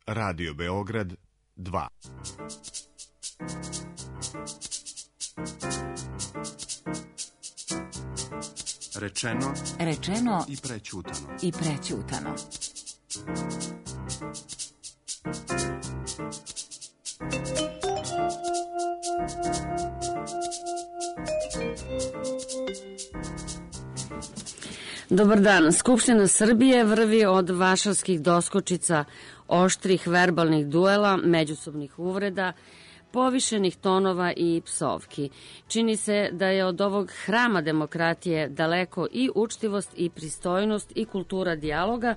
Radio Beograd 2. Rečeno i prećutano. Dobar dan. Skupština Srbije vrvi od vašarskih doskočica, oštrih verbalnih duela, međusobnih uvreda, povišenih tonova i psovki. Čini se da je od ovog hrama demokratije daleko i učtivost i pristojnost i kultura dijaloga,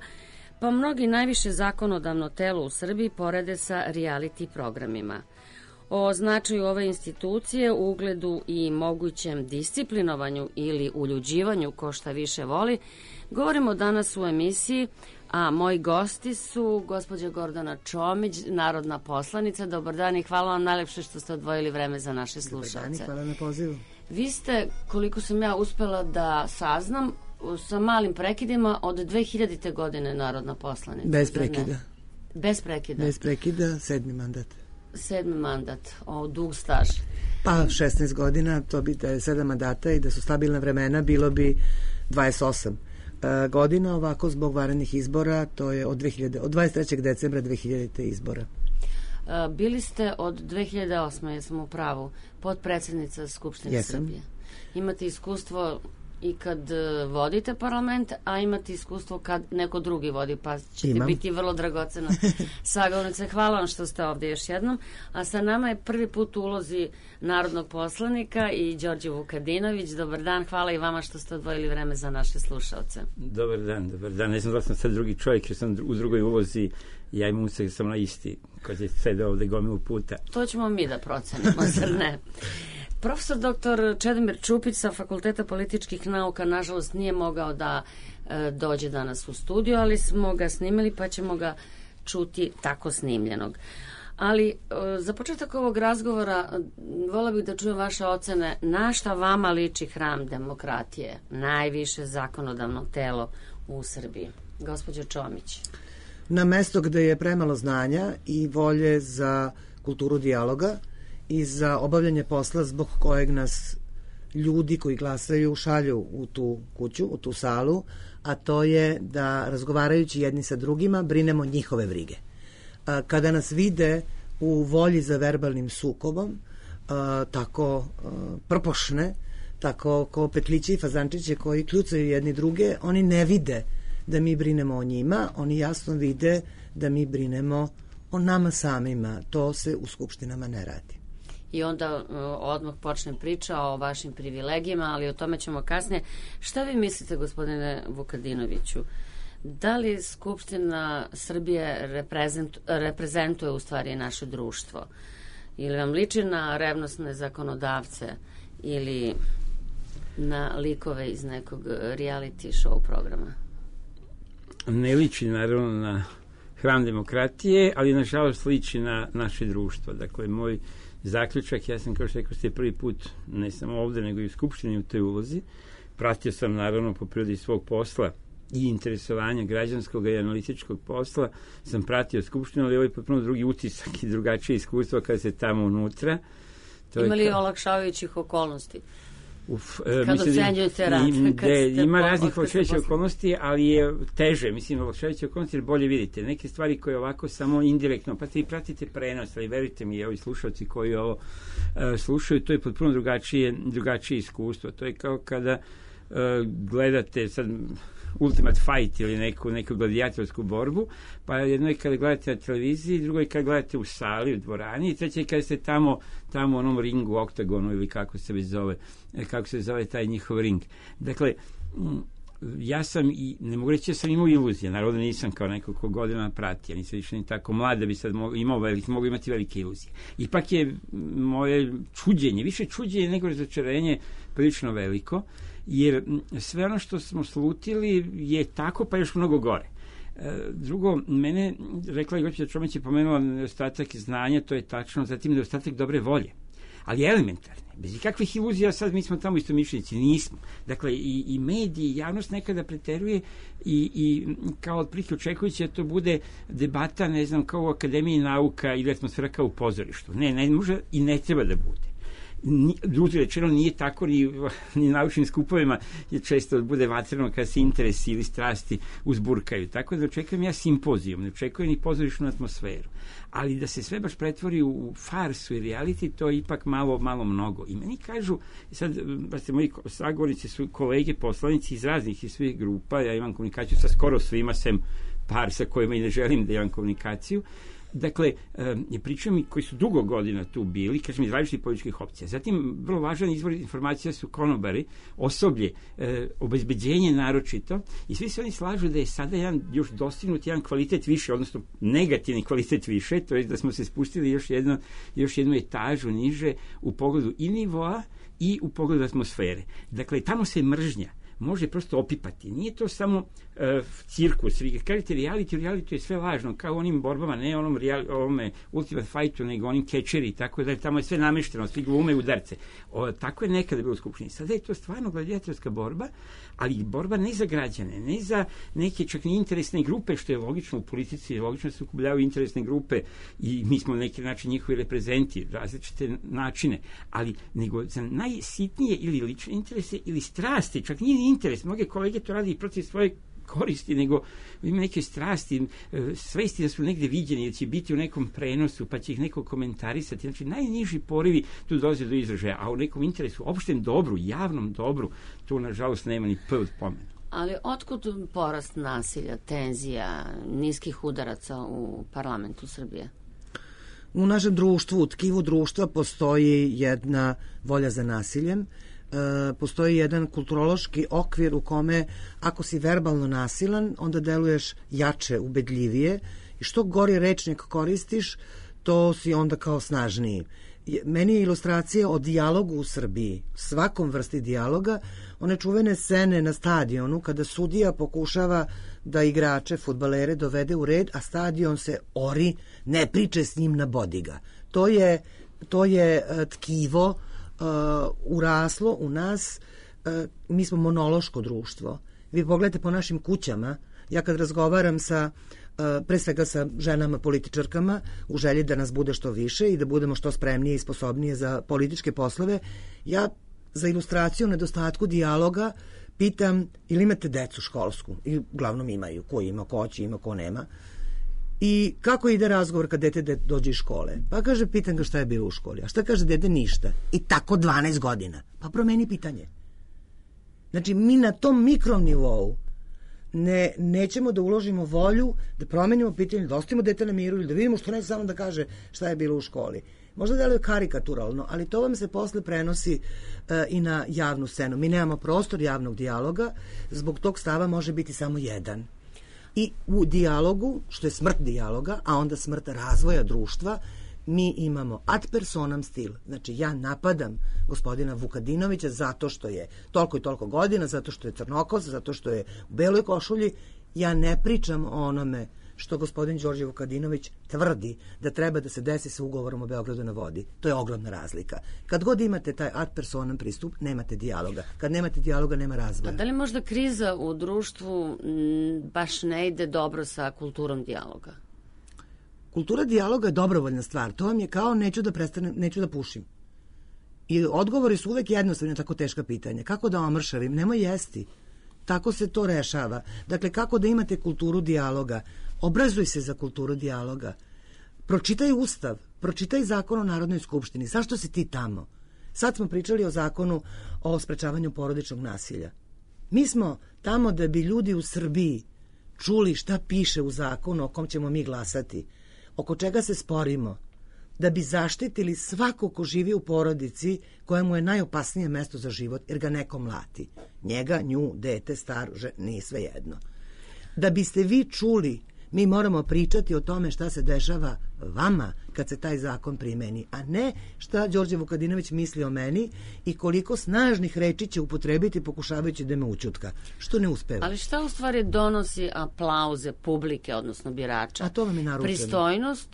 pa mnogi najviše zakonodavno telo u Srbiji porede sa reality programima. O značaju ove institucije, ugledu i mogućem disciplinovanju ili uljuđivanju, ko šta više voli, govorimo danas u emisiji, a moji gosti su gospođa Gordana Čomić, narodna poslanica. Dobar dan i hvala vam najlepše što ste odvojili vreme za naše slušalce. Dobar dan i hvala na pozivu. Vi ste, koliko sam ja uspela da saznam, sa malim prekidima od 2000. godine narodna poslanica. Bez prekida. Bez prekida? Bez prekida, 7. mandat. 7. mandat, dug staž. Pa 16 godina, to bi da je 7 mandata i da su stabilna vremena, bilo bi 28 godina, ovako zbog vanrednih izbora, to je od 23. decembra 2000. izbora. Bili ste od 2008. jesam u pravu, potpredsednica Skupštine Srbije. Imate iskustvo i kad vodite parlament, a imate iskustvo kad neko drugi vodi, pa ćete biti vrlo dragocena sagovornica. Hvala vam što ste ovde još jednom. A sa nama je prvi put u ulozi narodnog poslanika i Đorđe Vukadinović. Dobar dan, hvala i vama što ste odvojili vreme za naše slušalce. Dobar dan. Ne znam da sam sad drugi čovjek, jer sam u drugoj ulozi, ja imam usek sam na isti, kad je sede ovde gomilu puta. To ćemo mi da procenimo, zar ne? Profesor dr. Čedomir Čupić sa Fakulteta političkih nauka nažalost nije mogao da dođe danas u studiju, ali smo ga snimili pa ćemo ga čuti tako snimljenog. Ali za početak ovog razgovora vola bih da čujem vaše ocene na šta vama liči hram demokratije, najviše zakonodavno telo u Srbiji. Gospođo Čomić. Na mesto gde je premalo znanja i volje za kulturu dijaloga i za obavljanje posla zbog kojeg nas ljudi koji glasaju šalju u tu kuću, u tu salu, a to je da razgovarajući jedni sa drugima brinemo njihove brige. Kada nas vide u volji za verbalnim sukobom, tako prpošne, tako ko petlići i fazančiće koji kljucaju jedni druge, oni ne vide da mi brinemo o njima, oni jasno vide da mi brinemo o nama samima. To se u skupštinama ne radi. I onda odmah počne priča o vašim privilegijama, ali o tome ćemo kasnije. Šta vi mislite, gospodine Vukadinoviću? Da li Skupština Srbije reprezentuje u stvari naše društvo? Ili vam liči na revnosne zakonodavce ili na likove iz nekog reality show programa? Ne liči naravno na hram demokratije, ali nažalost liči na naše društvo. Dakle, moj zaključak, ja sam, kao što rekao ste, prvi put, ne samo ovde, nego i u Skupštini u toj ulozi. Pratio sam, naravno, po prirodi svog posla i interesovanja građanskog i analitičkog posla, sam pratio Skupštinu, ali ovo je potpuno drugi utisak i drugačije iskustvo kada se tamo unutra. Ima li olakšavajućih okolnosti? Kad ocenjujete rad? Ima raznih olakšavajućih okolnosti, ali je teže, olakšavajuće okolnosti jer bolje vidite. Neke stvari koje ovako samo indirektno, pa vi pratite prenos, ali verujte mi, ovi slušalci koji ovo slušaju, to je potpuno drugačije iskustvo. To je kao kada gledate sad Ultimate Fight ili neku gladijatorsku borbu, pa jedno je kada gledate na televiziji, drugo je kada gledate u sali, u dvorani, i treće je kada ste tamo u onom ringu, oktagonu ili kako se zove taj njihov ring. Dakle, ja sam, i ne mogu reći da sam imao iluzije, naravno nisam kao neko ko godina prati, ja nisam više ni tako mlad da bi sad mogu imati velike iluzije. Ipak je moje čuđenje, više čuđenje nego razočarenje prilično veliko, jer sve ono što smo slutili je tako, pa još mnogo gore. Drugo, mene, rekla je gospođa Čomić, je pomenula nedostatak znanja, to je tačno, zatim nedostatak dobre volje, ali elementarne. bez ikakvih iluzija, sad mi smo tamo istomišljenici, nismo. Dakle, i mediji, i javnost nekada preteruje i kao otprilike očekujući da to bude debata, ne znam, kao u Akademiji nauka ili atmosfera kao u pozorištu. Ne može i ne treba da bude. Drugi rečeno nije tako ni naučnim skupovima je često bude vatreno kada se interesi ili strasti uzburkaju. Tako da očekujem ja simpozijum, ne očekujem ni pozorišnu atmosferu. Ali da se sve baš pretvori u farsu i reality, to je ipak malo mnogo. I meni kažu, sad, moji sagovornici su kolege poslanici iz raznih i svih grupa, ja imam komunikaciju sa skoro svima, sem par sa kojima i ne želim da imam komunikaciju. Dakle, pričaju mi koji su dugo godina tu bili, kažem iz različitih političkih opcija. Zatim, vrlo važan izvor informacija su konobari, osoblje, obezbeđenje naročito, i svi se oni slažu da je sada još dostignut jedan kvalitet više, odnosno negativni kvalitet više, to je da smo se spustili još jednu etažu niže u pogledu i nivoa i u pogledu atmosfere. Dakle, tamo se mržnja može prosto opipati. Nije to samo cirkus. Vi kažete reality je sve lažno, kao onim borbama, ne ovome Ultimate Fightu, nego onim catcheri i tako da tamo je sve namešteno, svi glume udarce. Tako je nekada bilo u Skupštini. Sada je to stvarno gladijatorska borba, ali borba ne za građane, ne za neke čak ni interesne grupe, što je logično u politici, logično se ukupljavaju interesne grupe i mi smo na neki način njihovi reprezenti, različite načine, ali nego za najsitnije ili lične interese ili strasti, čak nije interes. Mnoge kolege to radi i protiv svoje koristi, nego ima neke strasti, svesti da su negde viđeni, da će biti u nekom prenosu, pa će ih neko komentarisati. Znači, najniži porivi tu dolaze do izražaja, a u nekom interesu, opštem dobru, javnom dobru, tu, nažalost, nema ni p od pomena. Ali otkud porast nasilja, tenzija, niskih udaraca u parlamentu Srbije? U našem društvu, u tkivu društva postoji jedna volja za nasiljem, postoji jedan kulturološki okvir u kome ako si verbalno nasilan, onda deluješ jače, ubedljivije i što gori rečnik koristiš, to si onda kao snažniji. Meni je ilustracija o dijalogu u Srbiji, svakom vrsti dijaloga, one čuvene scene na stadionu kada sudija pokušava da igrače, fudbalere dovede u red, a stadion se ori, ne priče s njim, nabodi ga. To je tkivo uraslo u nas. Mi smo monološko društvo. Vi pogledajte po našim kućama, ja kad razgovaram pre svega sa ženama političarkama u želji da nas bude što više i da budemo što spremnije i sposobnije za političke poslove, ja za ilustraciju nedostatku dijaloga pitam ili imate decu školsku, i uglavnom imaju, ko ima, ko hoće, ima, ko nema, i kako ide razgovor kad dete dođe iz škole? Pa kaže, pitam ga šta je bilo u školi. A šta kaže dete? Ništa. I tako 12 godina. Pa promeni pitanje. Znači, mi na tom mikrom nivou nećemo da uložimo volju, da promenimo pitanje, da ostavimo dete na miru ili da vidimo što neće samo da kaže šta je bilo u školi. Možda deluje karikaturalno, ali to vam se posle prenosi i na javnu scenu. Mi nemamo prostor javnog dijaloga, zbog tog stava može biti samo jedan. I u dijalogu, što je smrt dijaloga, a onda smrt razvoja društva, mi imamo ad personam stil. Znači, ja napadam gospodina Vukadinovića zato što je toliko i toliko godina, zato što je crnokos, zato što je u beloj košulji. Ja ne pričam o onome što gospodin Đorđe Vukadinović tvrdi da treba da se desi sa ugovorom o Beogradu na vodi. To je ogromna razlika. Kad god imate taj ad personam pristup, nemate dijaloga. Kad nemate dijaloga, nema razvoja. A da li možda kriza u društvu baš ne ide dobro sa kulturom dijaloga? Kultura dijaloga je dobrovoljna stvar. To vam je kao neću da pušim. I odgovori su uvek jednostavni na tako teška pitanja. Kako da omršavim? Nemoj jesti. Tako se to rešava. Dakle, kako da imate kulturu dijaloga? Obrazuj se za kulturu dijaloga. Pročitaj Ustav, pročitaj Zakon o Narodnoj skupštini. Zašto si ti tamo? Sad smo pričali o Zakonu o sprečavanju porodičnog nasilja. Mi smo tamo da bi ljudi u Srbiji čuli šta piše u zakonu o kom ćemo mi glasati, oko čega se sporimo, da bi zaštitili svako ko živi u porodici koja mu je najopasnije mesto za život, jer ga neko mlati. Njega, nju, dete, star, nije svejedno. Da biste vi čuli, mi moramo pričati o tome šta se dešava vama kad se taj zakon primeni, a ne šta Đorđe Vukadinović misli o meni i koliko snažnih reči će upotrebiti pokušavajući da me ućutka, što ne uspeva. Ali šta u stvari donosi aplauze publike, odnosno birača? A to vam je naručeno. Pristojnost,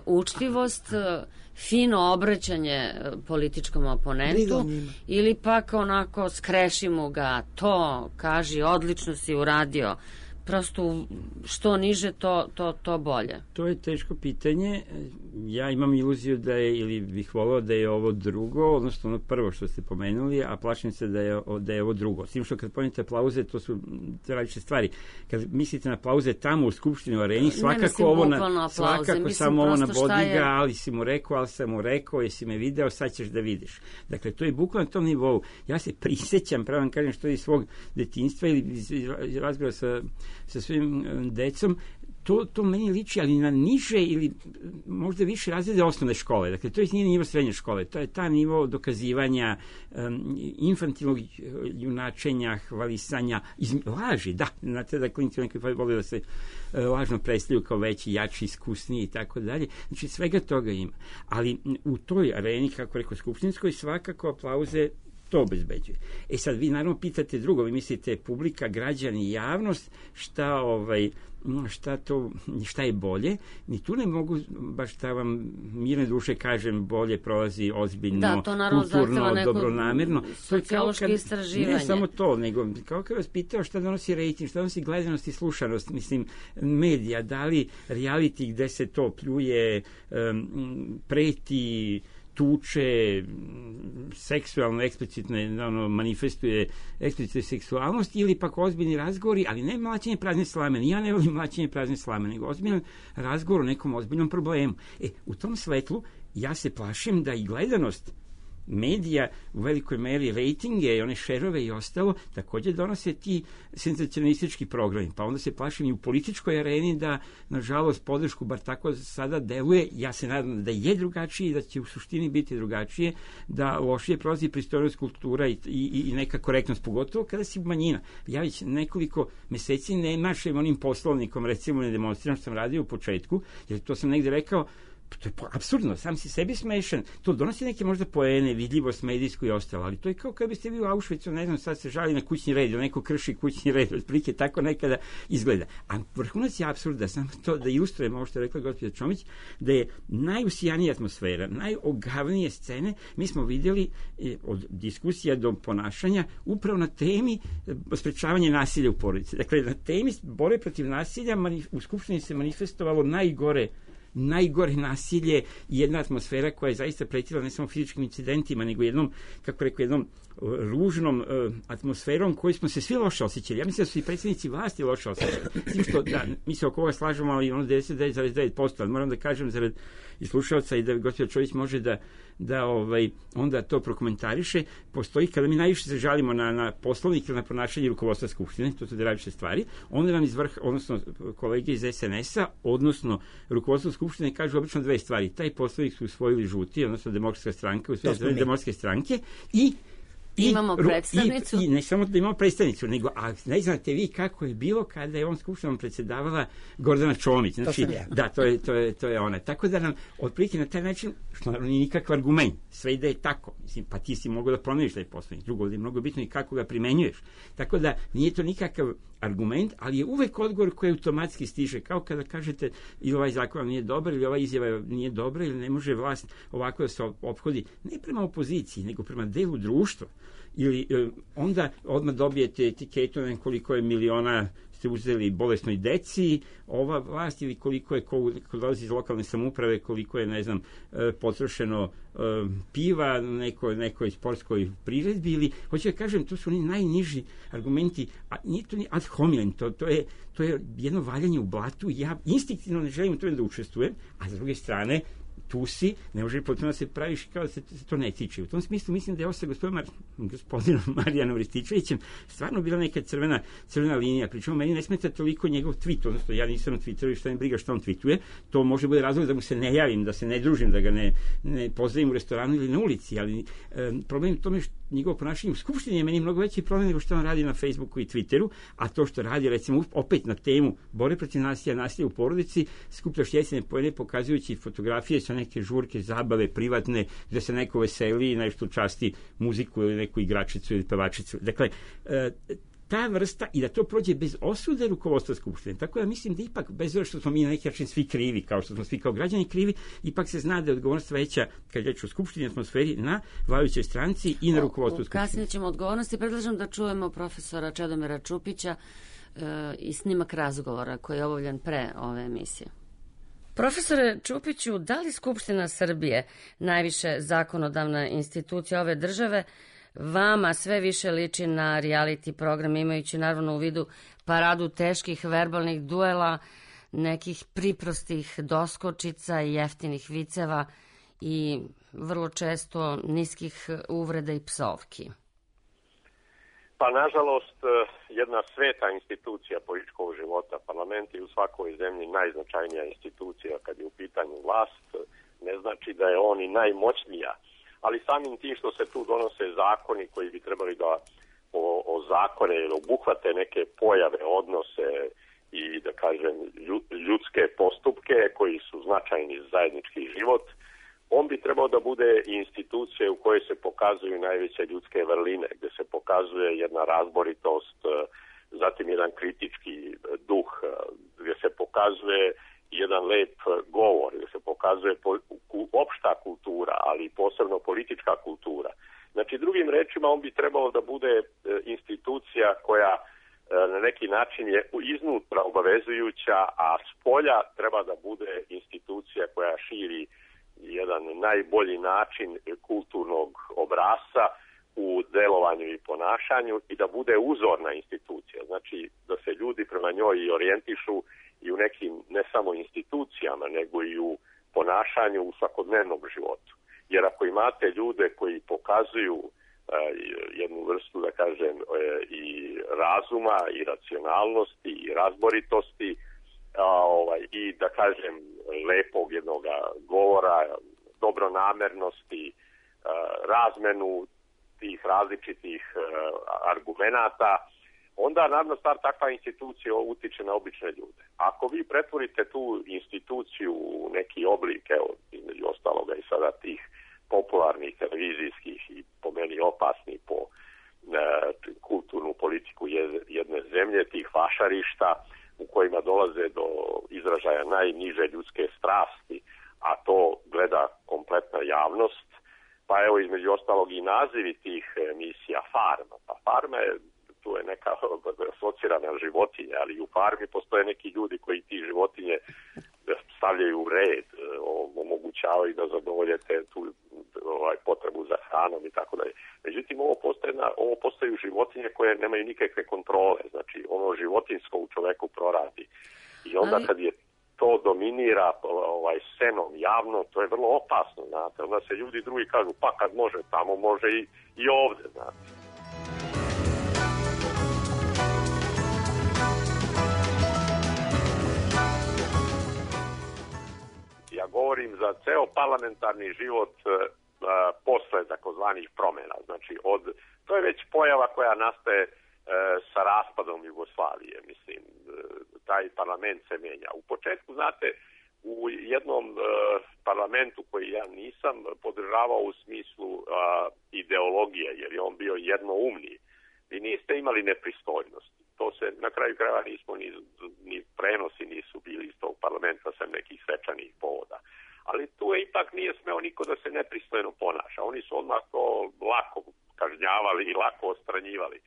učtivost, fino obraćanje političkom oponentu ili pak onako skrešimo ga, to kaži, odlično si uradio. Prosto što niže, to bolje. To je teško pitanje. Ja imam iluziju da je, ili bih volao da je ovo drugo, odnosno ono prvo što ste pomenuli, a plašim se da je ovo drugo. S tim što kad pomenete aplauze, to su različite stvari. Kad mislite na aplauze tamo u Skupštini, u areni, svakako samo ovo na bodiga, ali si mu rekao, ali sam mu rekao, jesi me video, sad ćeš da vidiš. Dakle, to je bukvalno na tom nivou. Ja se prisjećam, pravo vam kažem, što je iz svog detinjstva ili razgovora sa svojim decom, to meni liči, ali na niže ili možda više razrede osnovne škole. Dakle, to nije nivo srednje škole. To je ta nivo dokazivanja, infantilnog junačenja, hvalisanja, laži, da. Znate da klinci neki vole da se lažno predstavljaju kao veći, jači, iskusniji i tako dalje. Znači, svega toga ima. Ali u toj areni, kako rekao, skupštinskoj, svakako aplauze to obezbeđuje. Sad, vi naravno pitate drugo, vi mislite publika, građani, javnost, šta je bolje, ni tu ne mogu baš da vam mirne duše kažem bolje prolazi ozbiljno, kulturno, dobronamerno. Sociološko istraživanje. Ne samo to, nego kao kad vas pitao šta donosi rejting, šta donosi gledanost i slušanost, mislim, medija, da li reality gde se to pljuje, preti, tuče, seksualno, eksplicitno manifestuje eksplicitnu seksualnost ili pak ozbiljni razgovori, ali ne mlaćenje prazne slame. Ja ne volim mlaćenje prazne slame, nego ozbiljan razgovor o nekom ozbiljnom problemu. U tom svetlu ja se plašim da i gledanost medija u velikoj meri rejtinge i one šerove i ostalo također donose ti senzacionalistički programi. Pa onda se plašim i u političkoj areni da, nažalost, podršku bar tako sada deluje. Ja se nadam da je drugačije, da će u suštini biti drugačije, da lošije prolazi pristojnost, kultura i neka korektnost, pogotovo kada si manjina. Ja već nekoliko meseci ne mašem onim poslovnikom, recimo ne demonstriram što sam radio u početku, jer to sam negde rekao, to je apsurdno, sam si sebi smešan. To donosi neke možda poene, vidljivost medijsku i ostalo, ali to je kao kad biste vi u Auschwitzu, ne znam, sad se žali na kućni red, ili neko krši kućni red, otprilike tako nekada izgleda. A vrhunac je apsurda, samo to da ilustrujem ovo što je rekla gospođa Čomić, da je najusijanija atmosfera, najogavnije scene, mi smo vidjeli od diskusija do ponašanja upravo na temi sprečavanja nasilja u porodici. Dakle, na temi borbe protiv nasilja u Skupštini se manifestovalo najgore nasilje i jedna atmosfera koja je zaista pretila ne samo fizičkim incidentima, nego jednom ružnom atmosferom koju smo se svi loše osjećali. Ja mislim da su i predsjednici vlasti loše osjećali. Mislim što, da, mi se oko ovoga slažemo, ali ono 99,9%, ali moram da kažem zarad i slušalca i da gospođa Čović može da onda to prokomentariše. Postoji, kada mi najviše se žalimo na poslovnik ili na ponašanje rukovodstva Skupštine, to su različite stvari, onda nam iz vrha, odnosno kolege iz SNS-a, odnosno rukovodstvo Skupštine kažu obično dve stvari. Taj poslovnik su usvojili žuti, odnosno Demokratska stranka, usvojili Demokratske stranke i imamo predstavnicu. I ne samo da imamo predstavnicu, nego, a ne znate vi kako je bilo kada je on skupštinom predsedavala Gordana Čomić. Znači, da, to je ona. Tako da nam, otprilike na taj način, što naravno nije nikakav argument, sve ide tako. Mislim, pa ti si mogao da promeniš taj poslovnik. Drugo, je mnogo bitno i kako ga primenjuješ. Tako da, nije to nikakav argument, ali je uvek odgovor koji automatski stiže, kao kada kažete ili ovaj zakon nije dobar, ili ova izjava nije dobra, ili ne može vlast ovako da se ophodi, ne prema opoziciji, nego prema delu društva. Ili onda odmah dobijete etiketu koliko je miliona ste uzeli bolesnoj deci, ova vlast, ili koliko je ko dolazi iz lokalne samouprave, koliko je, ne znam, potrošeno piva nekoj sportskoj priredbi, ili, hoću da kažem, to su oni najniži argumenti, a nije to ni ad hominem, to je jedno valjanje u blatu, ja instinktivno ne želim u tome da učestvujem, a s druge strane, tu si, ne može potpuno da se praviš kao da se to ne tiče. U tom smislu mislim da je ovo sa gospodinom Marijanom Rističevićem stvarno bila neka crvena linija. Pričemu meni ne smeta toliko njegov tweet, odnosno ja nisam na Twitteru i šta mi briga što on tweetuje. To može bude razlog da mu se ne javim, da se ne družim, da ga ne pozdravim u restoranu ili na ulici, ali problem je tome što njegovo ponašanje u Skupštini je meni mnogo veći problem nego što on radi na Facebooku i Twitteru, a to što radi, recimo, opet na temu borbe protiv nasilja u porodici, skupljaš jesene poene pokazujući fotografije sa neke žurke, zabave, privatne, gde se neko veseli i nešto časti muziku ili neku igračicu ili pevačicu. Dakle, ta vrsta i da to prođe bez osude rukovodstva Skupštine. Tako da mislim da ipak, bez obzira što smo mi na neki način svi krivi, kao što smo svi kao građani krivi, ipak se zna da je odgovornost veća, kad reći o Skupštini, atmosferi, na vladajućoj stranci i na rukovodstvu Skupštine. Kasnije ćemo odgovornosti. Predlažem da čujemo profesora Čedomira Čupića i snimak razgovora koji je obavljen pre ove emisije. Profesore Čupiću, da li Skupština Srbije, najviše zakonodavna institucija ove države, vama sve više liči na reality program, imajući naravno u vidu paradu teških verbalnih duela, nekih priprostih doskočica i jeftinih viceva i vrlo često niskih uvreda i psovki? Pa, nažalost, jedna sveta institucija političkog života, parlament je u svakoj zemlji najznačajnija institucija kad je u pitanju vlast, ne znači da je on i najmoćnija, ali samim tim što se tu donose zakoni koji bi trebali da ozakone ili obuhvate neke pojave, odnose i, da kažem, ljudske postupke koji su značajni za zajednički život, on bi trebao da bude institucija u kojoj se pokazuju najveće ljudske vrline, gde se pokazuje jedna razboritost, zatim jedan kritički duh, gde se pokazuje jedan lep govor, gde se pokazuje opšta kultura, ali posebno politička kultura. Znači, drugim rečima, on bi trebao da bude institucija koja na neki način je iznutra obavezujuća, a spolja treba da bude institucija koja širi jedan najbolji način kulturnog obrasca u delovanju i ponašanju i da bude uzorna institucija. Znači, da se ljudi prema njoj i orijentišu i u nekim ne samo institucijama, nego i u ponašanju u svakodnevnom životu. Jer ako imate ljude koji pokazuju jednu vrstu, da kažem, i razuma, i racionalnosti, i razboritosti, i, da kažem, lepog jednog govora, dobronamernosti, razmenu tih različitih argumenata, onda naravno takva institucija utiče na obične ljude. Ako vi pretvorite tu instituciju u neki oblik, evo, između ostaloga i sada tih popularnih televizijskih i po meni opasnih po kulturnu politiku jedne zemlje, tih vašarišta u kojima dolaze do izražaja najniže ljudske strasti, a to gleda kompletna javnost, pa evo između ostalog i nazivi tih emisija Farma. Pa Farma je, tu je neka asocirana životinja, ali u Farmi postoje neki ljudi koji ti životinje stavljaju u red, omogućavaju da zadovoljete tu potrebu za hranom i tako dalje. Međutim, ovo postaju životinje koje nemaju nikakve kontrole, znači ono životinjsko u čoveku proradi. I onda kad je to dominira scenom javno, to je vrlo opasno, znate. Onda se ljudi drugi kažu, pa kad može tamo, može i ovde, znate. Ja govorim za ceo parlamentarni život posle takozvanih promjena. Znači, to je već pojava koja nastaje sa raspadom Jugoslavije. Mislim, taj parlament se menja. U početku, znate, u jednom parlamentu koji ja nisam podržavao u smislu ideologije, jer je on bio jednoumni, vi niste imali nepristojnosti. To se na kraju krajeva nismo ni prenosi nisu bili iz tog parlamenta sa nekih svečanih povoda. Ali tu ipak nije smeo niko da se nepristojno ponaša. Oni su odmah to lako kažnjavali i lako odstranjivali.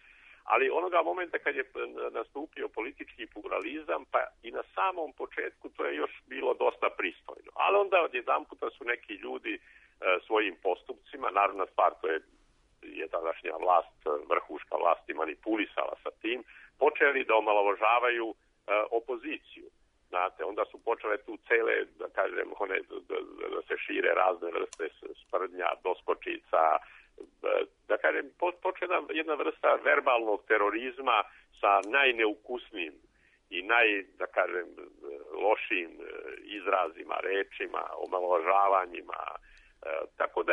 Ali onoga momenta kad je nastupio politički pluralizam, pa i na samom početku to je još bilo dosta pristojno. Ali onda odjedanputa su neki ljudi svojim postupcima, naravna stvar, to je tadašnja vlast, vrhuška vlast i manipulisala sa tim, počeli da omalovažavaju opoziciju. Znate, onda su počele tu cele, da kažem, da se šire razne vrste sprdnja, doskočica, da kažem, počela jedna vrsta verbalnog terorizma sa najneukusnijim i da kažem, lošim izrazima, rečima, omalovažavanjima. Tako da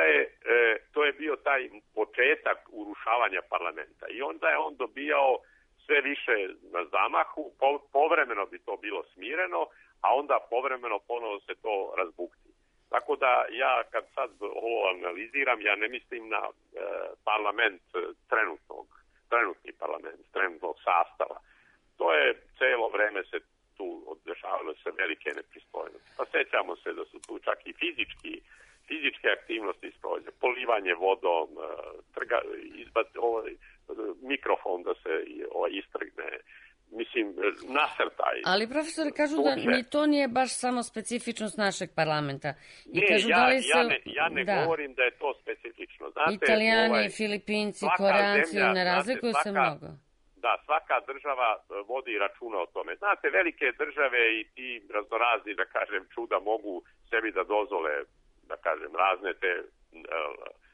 to je bio taj početak urušavanja parlamenta. I onda je on dobijao sve više na zamahu, povremeno bi to bilo smireno, a onda povremeno ponovo se to razbukti. Tako da ja kad sad ovo analiziram, ja ne mislim na parlament trenutnog trenutni parlament, trenutnog sastava. To je celo vreme se tu dešavale se velike nepristojnosti. Pa sećamo se da su tu čak i fizičke aktivnosti sprođe, polivanje vodom, mikrofon da se istrgne, mislim, nasrtaj. Ali profesori kažu da ni to nije baš samo specifičnost našeg parlamenta. I ne, kažu, ja ne govorim da je to specifično. Znate, Italijani, Filipinci, Koreanci, ne razlikuju se mnogo. Da, svaka država vodi računa o tome. Znate, velike države i ti raznorazni, da kažem, čuda mogu sebi da dozvole, da kažem, razne te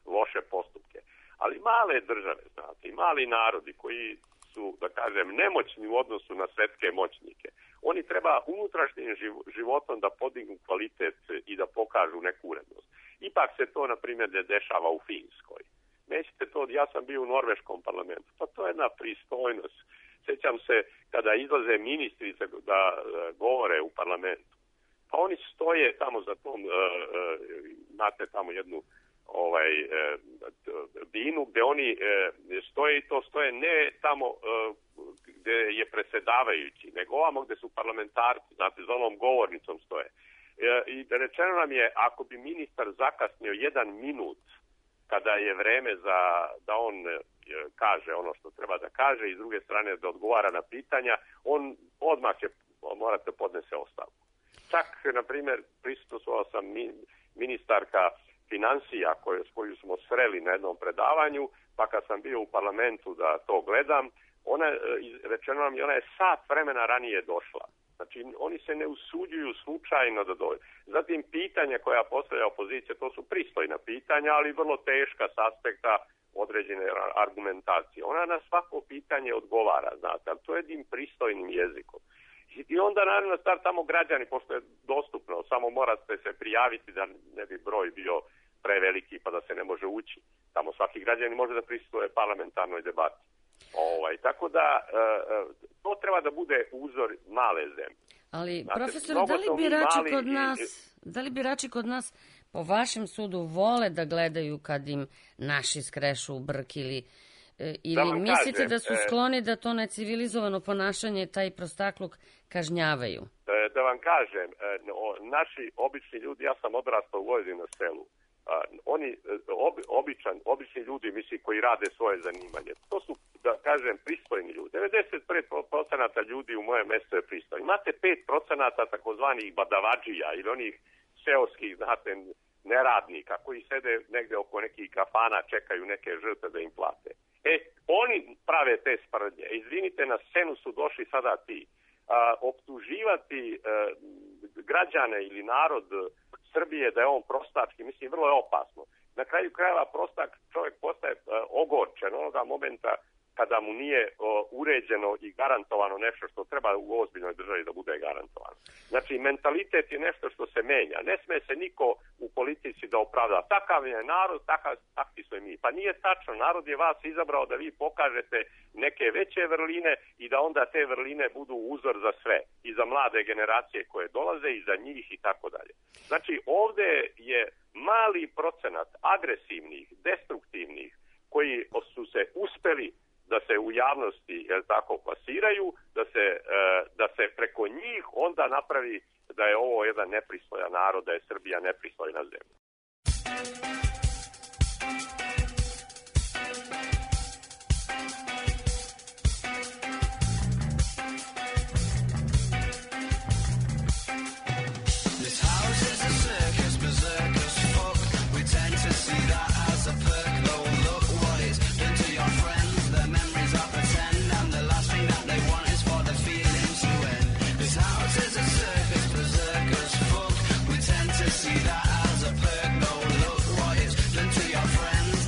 loše postupke. Ali male države, znate, i mali narodi koji su, da kažem, nemoćni u odnosu na svetske moćnike, oni treba unutrašnjim životom da podignu kvalitet i da pokažu neku urednost. Ipak se to, na primjer, ne dešava u Finskoj. Nećete to, ja sam bio u norveškom parlamentu, pa to je jedna pristojnost. Sjećam se kada izlaze ministrice da govore u parlamentu, pa oni stoje tamo za tom, imate tamo jednu binu gde oni stoje i to stoje ne tamo gde je presedavajući, nego ovamo gde su parlamentarci, znate, za onom govornicom stoje. I rečeno nam je, ako bi ministar zakasnio 1 minut kada je vreme da on kaže ono što treba da kaže i s druge strane da odgovara na pitanja, on odmah će morate podnese ostavku. Čak, na primjer, prisustvovao sam ministarka financija koju smo sreli na jednom predavanju, pa kad sam bio u parlamentu da to gledam, rečeno nam je, ona je sat vremena ranije došla. Znači, oni se ne usuđuju slučajno da dođu. Zatim, pitanja koja postavlja opozicija, to su pristojna pitanja, ali vrlo teška s aspekta određene argumentacije. Ona na svako pitanje odgovara, znate, ali to je jednim pristojnim jezikom. I onda, naravno, tamo građani, pošto je dostupno, samo morate se prijaviti da ne bi broj bio preveliki pa da se ne može ući. Tamo svaki građanin može da prisustvuje parlamentarnoj debati. Tako da to treba da bude uzor male zemlje. Ali, profesor, da li birači kod nas po vašem sudu vole da gledaju kad im naši skrešu u brk ili mislite da su skloni da to necivilizovano ponašanje, taj prostakluk, kažnjavaju? Da vam kažem, naši obični ljudi, ja sam odrastao u Vojvodini na selu, oni obični ljudi, misli, koji rade svoje zanimanje, to su, da kažem, pristojni ljudi. 95% ljudi u mojem mjestu je pristojni. Imate 5% takozvanih badavadžija ili onih seoskih, znate, neradnika koji sede negde oko nekih kafana, čekaju neke žrtve da im plate. Oni prave te sprdnje. Izvinite, na scenu su došli sada ti. Optuživati građane ili narod Srbije da je on prostački, mislim, vrlo je opasno. Na kraju krajeva prostak čovjek postaje ogorčen onoga momenta kada mu nije uređeno i garantovano nešto što treba u ozbiljnoj državi da bude garantovano. Znači, mentalitet je nešto što se menja. Ne sme se niko u politici da opravda. Takav je narod, takvi smo i mi. Pa nije tačno. Narod je vas izabrao da vi pokažete neke veće vrline i da onda te vrline budu uzor za sve. I za mlade generacije koje dolaze i za njih i tako dalje. Znači, ovdje je mali procenat agresivnih, destruktivnih, koji su se uspeli da se u javnosti tako plasiraju, da se preko njih onda napravi da je ovo jedan nepristojan narod, da je Srbija nepristojna zemlja. See that as a perk, no, look what it's done to your friends.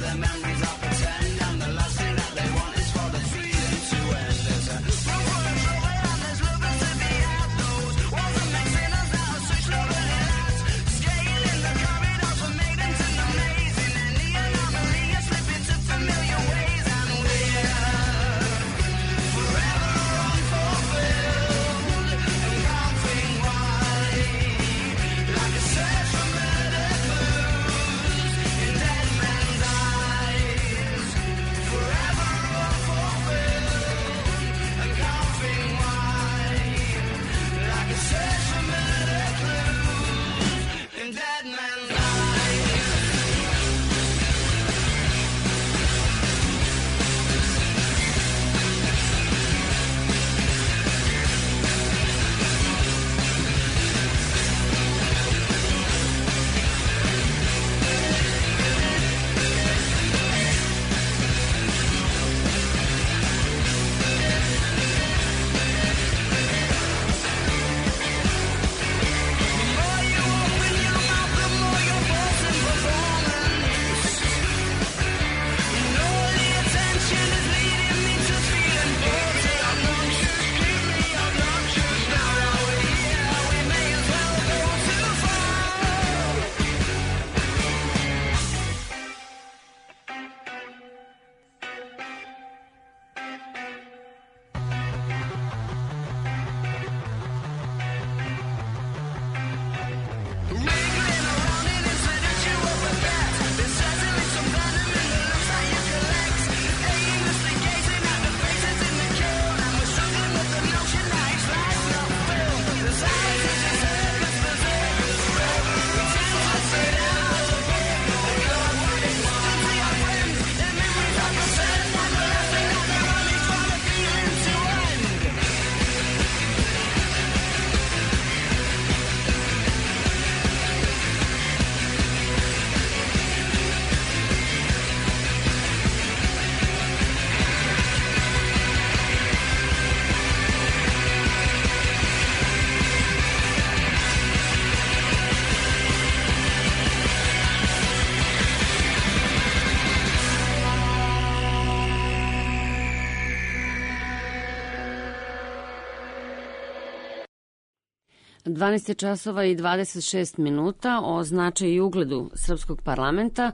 12 časova i 26 minuta o značaju i ugledu srpskog parlamenta.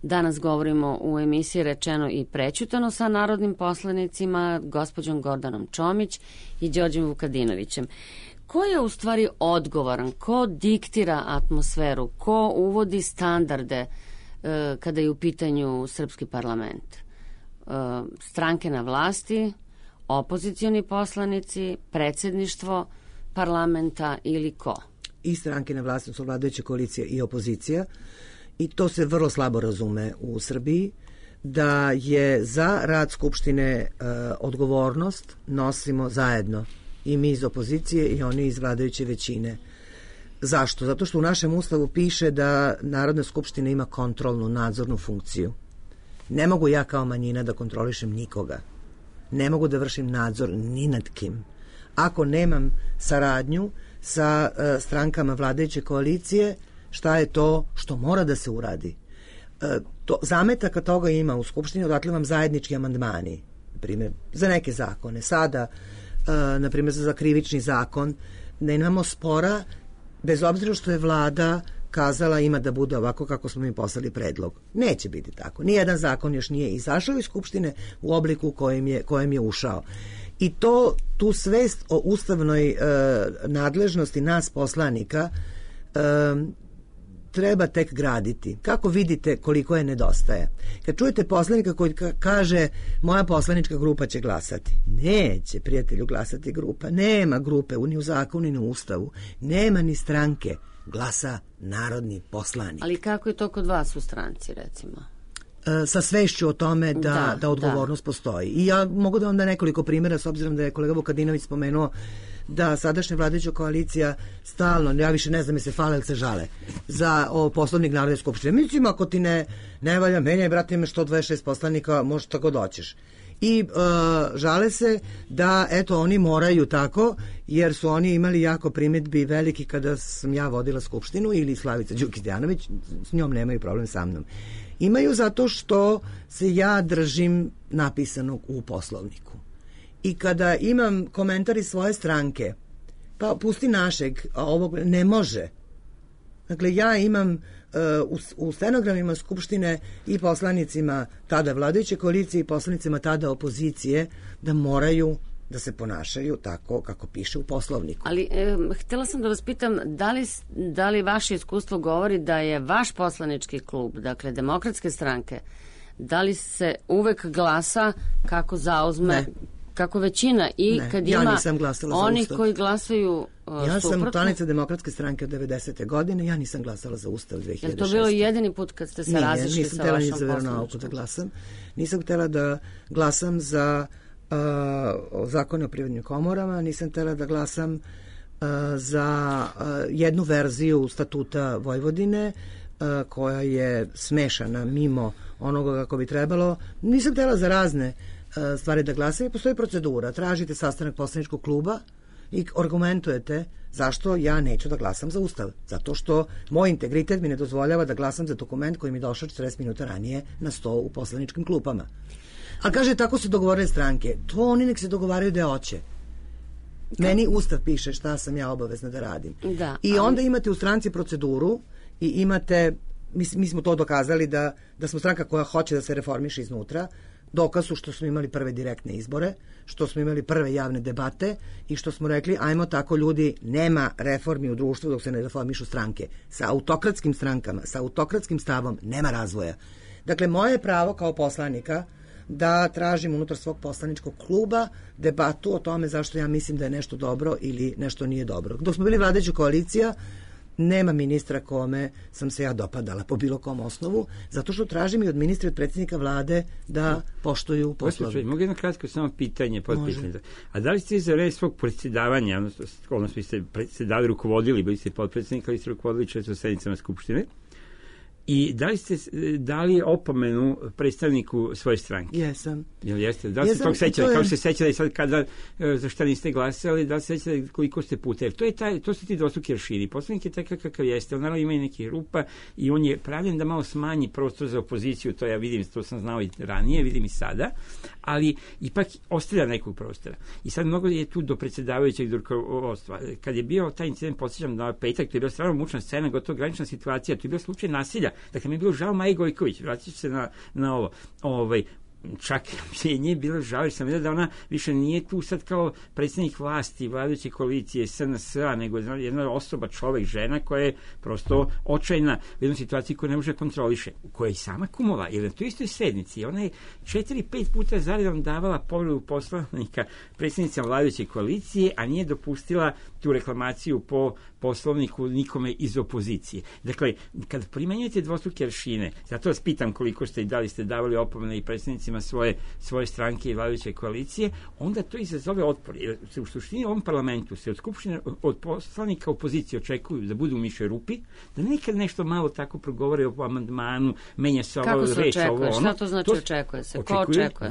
Danas govorimo u emisiji Rečeno i prećutano sa narodnim poslanicima, gospođom Gordanom Čomić i Đorđem Vukadinovićem. Ko je u stvari odgovoran? Ko diktira atmosferu? Ko uvodi standarde kada je u pitanju srpski parlament? Stranke na vlasti, opozicioni poslanici, predsjedništvo parlamenta ili ko? I stranke na vlasti su vladajuće koalicije i opozicija, i to se vrlo slabo razume u Srbiji, da je za rad Skupštine odgovornost nosimo zajedno, i mi iz opozicije i oni iz vladajuće većine. Zašto? Zato što u našem ustavu piše da Narodna skupština ima kontrolnu, nadzornu funkciju. Ne mogu ja kao manjina da kontrolišem nikoga. Ne mogu da vršim nadzor ni nad kim. Ako nemam saradnju sa strankama vladajuće koalicije, šta je to što mora da se uradi? Zametaka toga ima u Skupštini, odatle vam zajednički amandmani, primjer, za neke zakone. Sada, na primjer, za krivični zakon, ne imamo spora, bez obzira što je vlada kazala ima da bude ovako kako smo mi poslali predlog. Neće biti tako. Nijedan zakon još nije izašao iz Skupštine u obliku kojem je ušao. I tu svest o ustavnoj nadležnosti nas poslanika treba tek graditi. Kako vidite koliko je nedostaje? Kad čujete poslanika koji kaže moja poslanička grupa će glasati. Neće, prijatelju, glasati grupa. Nema grupe ni u zakonu ni u ustavu. Nema ni stranke. Glasa narodni poslanik. Ali kako je to kod vas u stranci, recimo? Sa svešću o tome da odgovornost postoji. I ja mogu da vam da nekoliko primjera, s obzirom da je kolega Vukadinović spomenuo da sadašnja vladajuća koalicija stalno, ja više ne znam je se fale ili se žale, za poslovnik Narodne skupštine. Mislim, ako ti ne valja, menjaj, brate, imaš 126 poslanika, možeš tako doćeš. I žale se da, eto, oni moraju tako, jer su oni imali jako primjedbi veliki kada sam ja vodila skupštinu, ili Slavica Đukić-Dejanović, s njom nemaju problem sa mnom. Imaju zato što se ja držim napisanog u Poslovniku. I kada imam komentari svoje stranke, pa pusti našeg, a ovog ne može. Dakle, ja imam u stenogramima Skupštine i poslanicima tada vladajuće koalicije i poslanicima tada opozicije da moraju da se ponašaju tako kako piše u Poslovniku. Ali htjela sam da vas pitam, da li vaše iskustvo govori da je vaš poslanički klub, dakle Demokratske stranke, da li se uvek glasa kako zauzme, kako većina i kad ima onih koji glasaju ja sam članica Demokratske stranke od 90. godine, ja nisam glasala za Ustav 2006. Je to bilo jedini put kad ste se razišli sa vašom poslaničkom? Nisam htjela ni za veronauku da glasam. Nisam htjela da glasam za zakone o privrednim komorama, nisam htjela da glasam za jednu verziju statuta Vojvodine koja je smešana mimo onoga kako bi trebalo. Nisam htjela za razne stvari da glasam i postoji procedura. Tražite sastanak poslaničkog kluba i argumentujete zašto ja neću da glasam za Ustav. Zato što moj integritet mi ne dozvoljava da glasam za dokument koji mi došao 40 minuta ranije na sto u poslaničkim klupama. A kaže, tako se dogovorile stranke. To oni nek se dogovaraju da hoće. Meni Ustav piše šta sam ja obavezna da radim. I onda imate u stranci proceduru i imate, mi smo to dokazali da smo stranka koja hoće da se reformiše iznutra. Dokaz su što smo imali prve direktne izbore, što smo imali prve javne debate i što smo rekli, ajmo tako ljudi, nema reformi u društvu dok se ne reformišu stranke. Sa autokratskim strankama, sa autokratskim stavom nema razvoja. Dakle, moje je pravo kao poslanika da tražim unutar svog poslaničkog kluba debatu o tome zašto ja mislim da je nešto dobro ili nešto nije dobro. Dok smo bili vladajuća koalicija, nema ministra kome sam se ja dopadala po bilo kom osnovu, zato što tražim i od ministra i od predsjednika vlade da poštuju Poslovnik. Mogu jedno kratko samo pitanje, potpitanje. A da li ste za red svog predsjedavanja, odnosno vi ste predsjedali, rukovodili, bili ste potpredsjednik, ali ste rukovodili često sednicama Skupštine, I da li ste dali opomenu predstavniku svoje stranke? Jesam. Jeste? Da li ste tog sećali? Kao što se sećali sad kada, za šta niste glasali, da li se sećali koliko ste puta? Jer to su ti dvostruki aršini. Poslanik je takav kakav jeste. On naravno ima i neki rupa i on je pravljen da malo smanji prostor za opoziciju. To ja vidim, to sam znao i ranije, vidim i sada. Ali ipak ostavlja nekog prostora. I sad mnogo je tu do predsjedavajućeg rukovodstva. Kad je bio taj incident, podsjećam na petak, to je bila stvarno mučna scena, gotovo granična situacija, to je bio slučaj nasilja. Dakle, mi je bilo žao Maji Gojković, vratit ću se na ovo. Čak je nje bilo žao, jer sam vidio da ona više nije tu sad kao predsjednik vlasti, vladajuće koalicije, SNS-a, nego jedna osoba, čovek, žena koja je prosto očajna u jednoj situaciji koju ne može kontroliše, koja je i sama kumova, jer na toj istoj sednici ona je 4-5 puta zaredom davala povredu poslanika predsjednicama vladajuće koalicije, a nije dopustila tu reklamaciju po poslovniku nikome iz opozicije. Dakle, kad primenjujete dvostruke aršine, zato vas pitam koliko ste i da li ste davali opomene i predsjednicima svoje stranke i vladajuće koalicije, onda to izazove otpor. Jer se u suštini u ovom parlamentu se od skupštine, od poslanika opozicije očekuju da budu u mišoj rupi, da nekad nešto malo tako progovore o amandmanu, menja se ovo, reč, ovo, ono. Šta to znači očekuje se? Ko očekuje?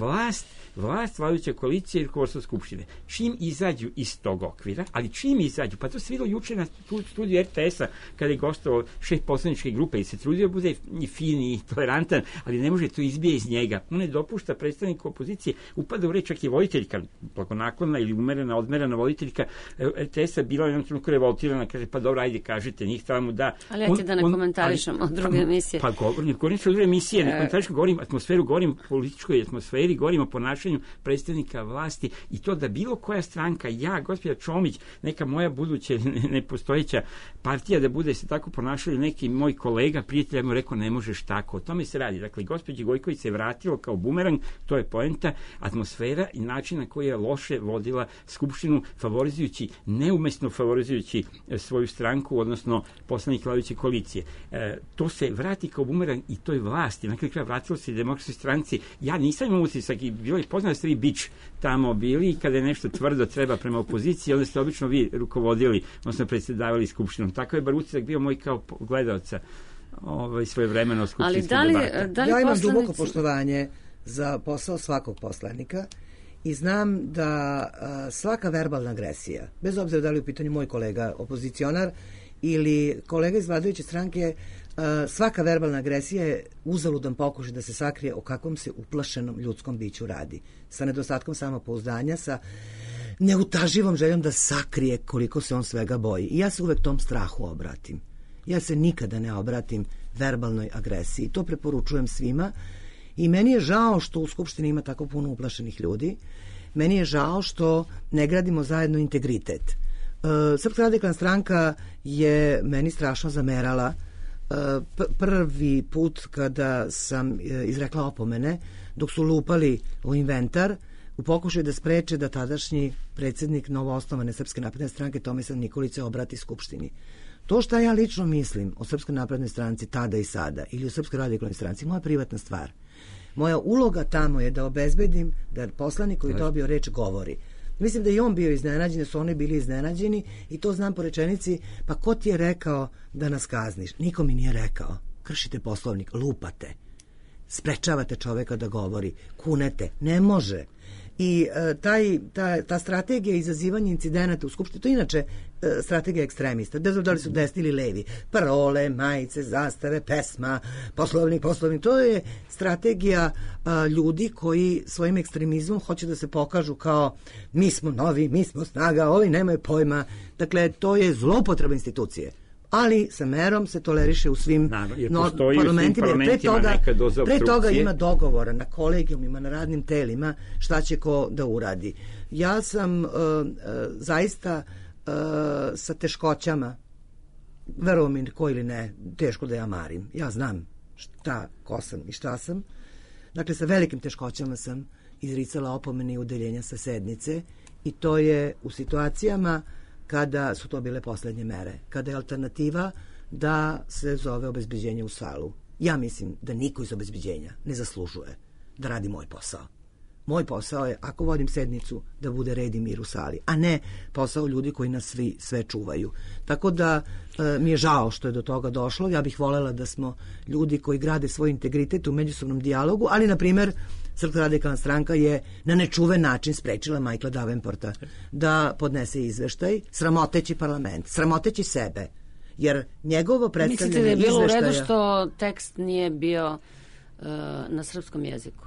Vlast, vladajuća koalicija i rukovodstvo skupštine. Čim izađu iz tog okvira, ali čim izađu, pa to se videlo juče na studiju RTS-a, kada je gostovao šef poslaničke grupe i se trudio bude i fin i tolerantan, ali ne može to izbije iz njega. On ne dopušta predstavniku opozicije, upada u reč, čak i voditeljka, blagonaklona ili umerena, odmerena voditeljka RTS-a bila je jednom trenutku revoltirana, kaže, pa dobro, ajde, kažite, njih tamo da... Ali ja ti da ne komentarišem od druge emisije. Pa govorim se od druge emisije, ne komentarišem, govorim atmosferu, govorim političkoj atmosferi, govorim o ponašanju predstavnika vlasti i to da bilo koja stranka, ja, gospođa Čomić, neka moja buduća nepostojeća partija da bude se tako ponašali, neki moj kolega, prijatelj, mu rekao, ne možeš tako. O tome se radi. Dakle, gospođi Gojković se vratilo kao bumerang, to je poenta, atmosfera i način na koji je loše vodila skupštinu, favorizujući, neumesno favorizujući svoju stranku, odnosno poslanik vladajuće koalicije. To se vrati kao bumerang i toj vlasti. Na kraju kraja vratilo se i Demokratskoj stranci. Ja nisam imao utisak i bilo je poznato da ste vi bič tamo bili i kada je nešto tvrdo treba prema opoziciji, onda ste obično vi rukovodili, odnosno predsjedavali skupštinom. Tako je bar utisak bio moj kao gledalca svojevremeno skupštinske debate. Ja imam duboko poštovanje za posao svakog poslanika i znam da svaka verbalna agresija, bez obzira da li u pitanju moj kolega opozicionar ili kolega iz vladajuće stranke, svaka verbalna agresija je uzaludan pokušaj da se sakrije o kakvom se uplašenom ljudskom biću radi. Sa nedostatkom samopouzdanja, sa neutaživom željom da sakrije koliko se on svega boji. I ja se uvek tom strahu obratim. Ja se nikada ne obratim verbalnoj agresiji. To preporučujem svima. I meni je žao što u Skupštini ima tako puno uplašenih ljudi. Meni je žao što ne gradimo zajedno integritet. Srpska radikalna stranka je meni strašno zamerala prvi put kada sam izrekla opomene, dok su lupali u inventar, u pokušaju da spreče da tadašnji predsjednik novoosnovane Srpske napredne stranke Tomislav Nikolić se obrati Skupštini. To što ja lično mislim o Srpskoj naprednoj stranci tada i sada ili o Srpskoj radikalnoj stranci, moja privatna stvar. Moja uloga tamo je da obezbedim da poslanik koji dobio reč govori. Mislim da i on bio iznenađen, da su oni bili iznenađeni i to znam po rečenici, pa ko ti je rekao da nas kazniš? Niko mi nije rekao. Kršite poslovnik, lupate, sprečavate čoveka da govori, kunete, ne može. I ta strategija izazivanja incidenata u Skupštini, to je inače strategija ekstremista, bez obzira da li su desni ili levi, parole, majice, zastave, pesma, poslovnik, to je strategija ljudi koji svojim ekstremizmom hoće da se pokažu kao mi smo novi, mi smo snaga, ovi nemaju pojma. Dakle, to je zloupotreba institucije. Ali sa merom se toleriše u svim parlamentima. Pre toga ima dogovora na kolegijumima, na radnim telima šta će ko da uradi. Ja sam zaista sa teškoćama, verujem mi ko ili ne, teško da ja marim. Ja znam ko sam i šta sam. Dakle, sa velikim teškoćama sam izricala opomene i udaljenja sa sednice i to je u situacijama kada su to bile poslednje mere, kada je alternativa da se zove obezbeđenje u salu. Ja mislim da niko iz obezbeđenja ne zaslužuje da radi moj posao. Moj posao je, ako vodim sednicu, da bude red i mir u sali, a ne posao ljudi koji nas sve čuvaju. Tako da mi je žao što je do toga došlo. Ja bih volela da smo ljudi koji grade svoj integritet u međusobnom dijalogu, ali, na primer, Srpska radikalna stranka je na nečuven način sprečila Michaela Davenporta da podnese izveštaj, sramoteći parlament, sramoteći sebe. Jer njegovo predstavljanje izveštaja... Mislite da je bilo u redu što tekst nije bio na srpskom jeziku?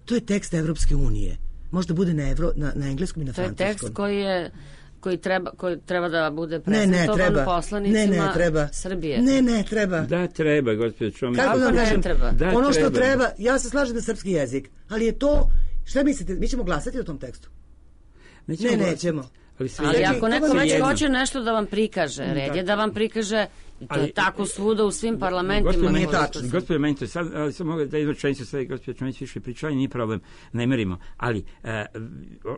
To je tekst Evropske unije. Možda bude na engleskom i na francuskom. To je tekst koji treba da bude prezentovan poslanicima Srbije. Ne treba. Da, treba, gospođo Čomić. Kako da kažem? Ono što treba, ja se slažem da srpski jezik, ali je to, šta mislite, mi ćemo glasati o tom tekstu? Nećemo. Ali ako neko već hoće nešto da vam prikaže, red je da vam prikaže, i to je tako svuda u svim parlamentima. Nije tačno. Gospodin Mento, sad mogu da izvrčenicu sve, gospodin Čomić više pričali, nije problem, ne merimo. Ali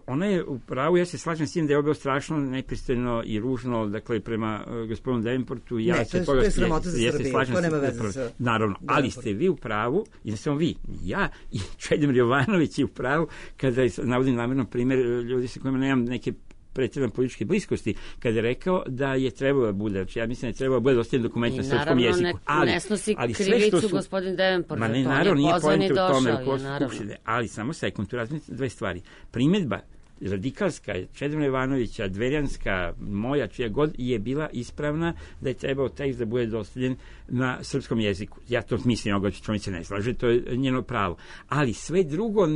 ona je u pravu, ja se slažem s tim da je ovo strašno nepristojno i ružno, dakle, prema gospodinu Davenportu. To je sramota za Srbiju, to nema veze sa... Naravno, ali ste vi u pravu, i ne samo vi, ja i Čedomir Jovanović je u pravu, kada navodim namjerno primjer ljudi sa kojima nemam neke pretjerane političke bliskosti, kada je rekao da je trebalo da bude, znači ja mislim da je trebalo da bude dostavljen dokument na srpskom jeziku. Naravno, ne snosi krivicu gospodin Davenport, on je pozvan i došao. Ali samo sekund, tu razmišljam dve stvari. Primjedba radikalska, Čedomira Jovanovića, dverjanska, moja, čija god je bila ispravna da je trebao tekst da bude dostavljen na srpskom jeziku. Ja to mislim, oga Čomić se ne slaže, to je njeno pravo. Ali sve drugo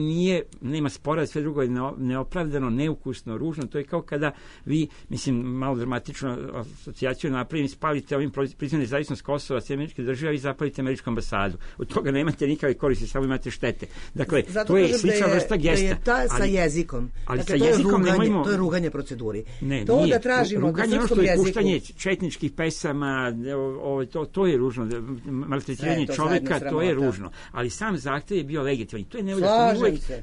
nema spora, sve drugo je neopravdano, neukusno, ružno. To je kao kada vi, mislim, malo dramatično asocijaciju napravim, spalite ovim priznam nezavisnost Kosova, sve američke države i zapalite američku ambasadu. Od toga nemate nikakve koristi, samo imate štete. Dakle, zato to je slična vrsta gesta. Da je sa jezikom. To je ruganje proceduri. To da tražimo na srpskom jeziku. Puštanje četničkih pesama, to je ružno. Maltretiranje čoveka, to je ružno. Ali sam zahtev je bio legitiman. To je nevolja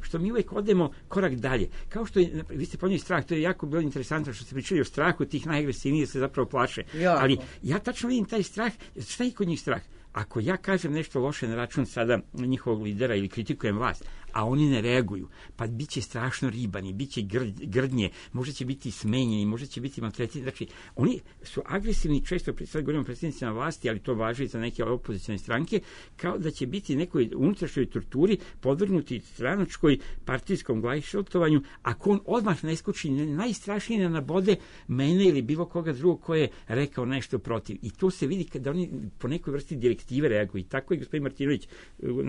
što mi uvek odemo korak dalje. Kao što je, vi ste ponijeli strah, to je jako bilo interesantno što ste pričali o strahu tih najagresivnijih se zapravo plaše. Ali ja tačno vidim taj strah. Šta je kod njih strah? Ako ja kažem nešto loše na račun sada njihovog lidera ili kritikujem vlast, a oni ne reaguju, pa bit će strašno ribani, bit će grdnje, možda će biti smenjeni, možda će biti maltretirani. Znači, oni su agresivni, često sad govorimo o predsjednicima vlasti, ali to važi za neke opozicijne stranke, kao da će biti nekoj unutrašnjoj torturi podvrgnuti stranačkoj partijskom glajšaltovanju, ako on odmah ne skoči najstrašnije nabode mene ili bilo koga drugog ko je rekao nešto protiv. I to se vidi kada oni po nekoj vrsti direktive reaguju. I tako je gospodin Martinović